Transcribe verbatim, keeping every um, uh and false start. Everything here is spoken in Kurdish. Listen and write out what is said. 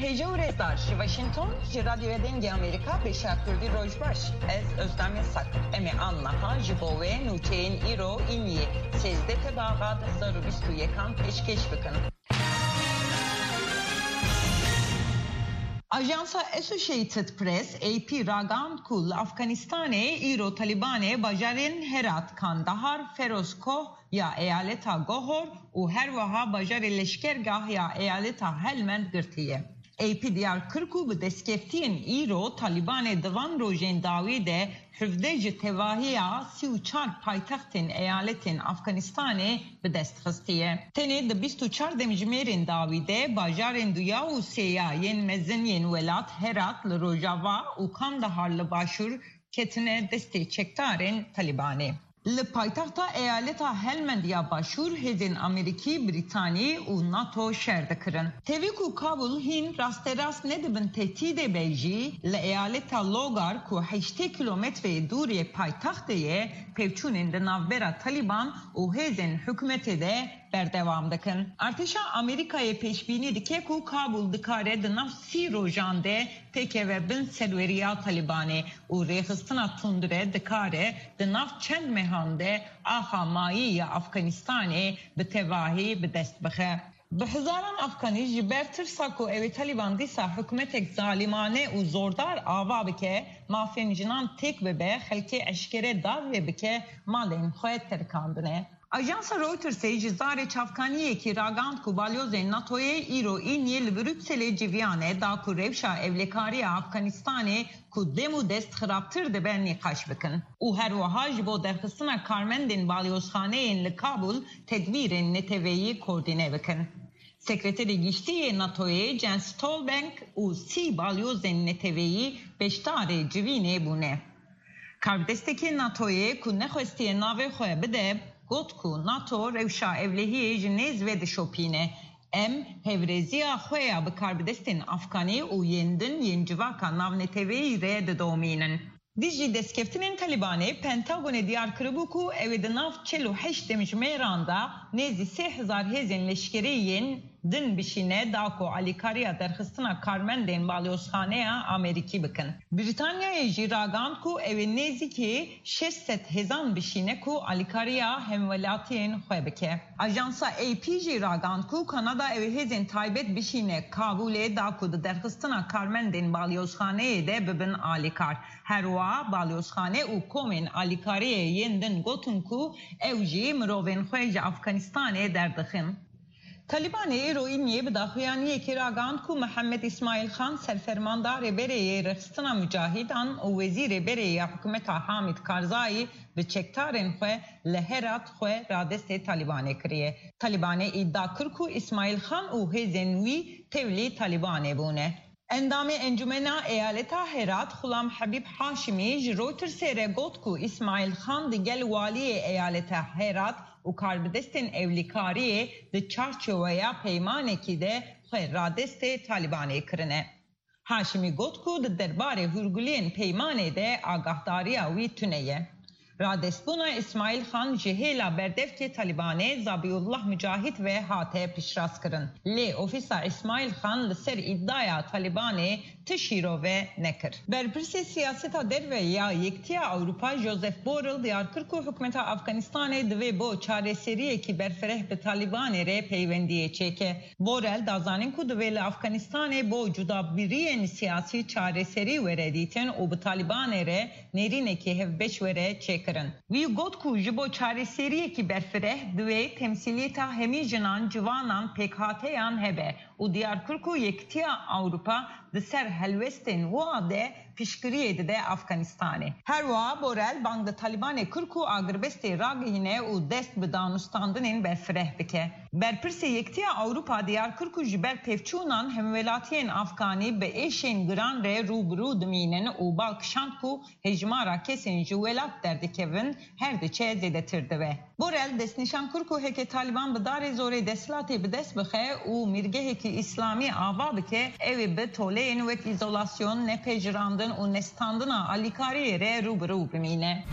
Hêja û rêzdar, ji Washington, ji Radyoya Dengê Amerîka, Beşa Kurdî, roj baş. Ez Özlem Yasak. Em ê aniha ji bo we nûçeyên îro, îniyê, sêzdeh Tebaxa du hezar û bîst û yekan pêşkêş bikin. Ajansa Associated Press, A P, ragihand ku li Afganistanê îro Talîbanê bajarên Herat, Kandahar, Feroz Koh ya eyaleta Gohor û her wiha bajarê leşkergah ya eyaleta Helmend girtiye. A P diyar kir ku bi destkeftiyên îro Talîbanê di van rojên dawî de hevdeh ji tevahiya sî û çar paytextên eyaletên Afganistanê bi dest xistiye. Tenê di bîst û çar demjimêrên dawî de bajarên duya û sêya yên mezin yên welat, Herat li rojava û Kandahar li başûr, ketine destê çekdarên Talîbanê. Li paytexta eyaleta Helmend ya Başûr hêzên Amerîkî, Brîtanî û NATO şer dikirin. Tevî ku Kabul hîn rasterast ne di bin tehdîdê be jî, li eyaleta Logar ku heştê kîlometreyê dûrê paytextê ye, pevçûnên di navbera Talîban û hêzên hikûmetê de berdewam dikin. Artêşa Amerîkayê pêşbînî dike ku Kabul dikare di nav sî rojan de têkeve bin serweriya Talîbanê û rêxistina tundre dikare di nav çend mehan de axa mayî ya Afganistanê bi tevahî bi dest bixe. Bi hezaran Afganî ji ber tirsa ku ew ê Talîban dîsa hikûmetek zalimane û zordar ava bike, mafên jinan têk bibe, xelkê eşkere dar lê bike, malên xwe terikandine. Ajansa Reutersê ji zarê çavkaniyekî ragihand ku balyozên NATOyê îro îniyê li Brukselê civiyane da ku rewşa ewlekariya Afganistanê ku dem û dest xirabtir dibe nîqaş bikin û her wiha ji bo derxistina karmendên balyozxaneyên li Kabul tedbîrên neteweyî koordîne bikin. Sekreterê Giştî yê NATOyê Jens Stoltenberg û sî balyozên neteweyî beşdarê civînê bûne. Karbidestekî NATOyê ku nexwestiye navê xwe bide, got ku NATO rewşa ewlehiyê ji nêz vedişopîne. Em hevrêziya xwe ya bi karbidestên Afganî û yên din yên civaka navneteweyî re didomînin. Dijî destkeftinên Talîbanê, Pentagonê diyar kiribû ku ew ê di nav çil û heşt demjimêran de nêzî sê hezar hêzên leşkerî yên din bişîne, da ku alîkariya derxistina karmendên balyozxaneya Amerîkî bikin. Brîtanyayê jî ragihand ku ew ê nêzîkî şeş sed hêzan bişîne ku alîkariya hemwelatiyên xwe bike. Ajansa A P jî ragihand ku Kanada ew ê hêzên taybet bişîne Kabûlê, da ku di derxistina karmendên balyozxaneyê de bibin alîkar. Her wiha balyozxane û komên alîkariyê yên din gotin ku ew jî mirovên xwe ji Afganistanê derdixin. Talîbanê îro îniyê bi daxuyaniyekê ragihand ku Mihemed Îsmaîl Xan, serfermandarê berê yê rêxistina mucahîdan û wezîrê berê ya hikûmeta Hamîd Karzayî, bi çekdarên xwe li Herat xwe radestê Talîbanê kiriye. Talîbanê îdia kir ku Îsmaîl Xan û hêzên wî tevlî Talîbanê bûne. Endamê Encûmena Eyaleta Herat Xulam Hebîb Haşimî ji Reutersê re got ku Îsmaîl Xan digel waliyê eyaleta Herat û karbidestên ewlîkariyê di çarçoweya peymanekî de xwe radestê Talîbanê kirine. Haşimî got ku di derbarê hûrguliyên peymanê de agahdariya wî tune ye. Radestbûna Îsmaîl Xan ji hêla berdevkê Talîbanê Zabîullah Mucahîd ve hate piştrast kirin. Lê ofîsa Îsmaîl Xan li ser îdiaya Talîbanê ti şîrove nekir. Berpirsê siyaseta derve ya Yekitiya Ewropa Joseph Borrell diyar kir ku hikûmeta Afganistanê divê bo çareseriyekî berfireh bi Talîbanê re peywendiyê çêke. Borrell da zanîn ku divê li Afganistanê bo cudabiriyên siyasî çareserî were dîtin û bi Talîbanê re nêrînekî hevbeş were çêkirin. Wî got ku ji bo çareseriyekî berfireh divê temsîliyeta hemî jinan, ciwanan, pêkhateyan hebe û diyar kir ku Yekitiya Ewropa di ser helwestên wiha de piştgiriyê dide Afganistanê. Her wiha Borrell bang li Talîbanê kir ku agirbestê ragihîne û dest bi danûstandinên berfireh bike. Berpirsê Yekitiya Ewropa diyar kir ku ji ber pevçûnan hemwelatiyên Afganî bi êşên giran re rû bi rû dimînin û bal kişand ku hejmara kesên ji welat derdikevin her diçe zêdetir dibe. Borrell destnîşan kir ku heke Talîban bi darê zorê desthilatê bi dest bixe û mîrgehekî îslamî ava bike, ew ê bi toleyên wek îzolasyon, nepejirandin û nestandina alîkariyê re rû bi rû bimîne.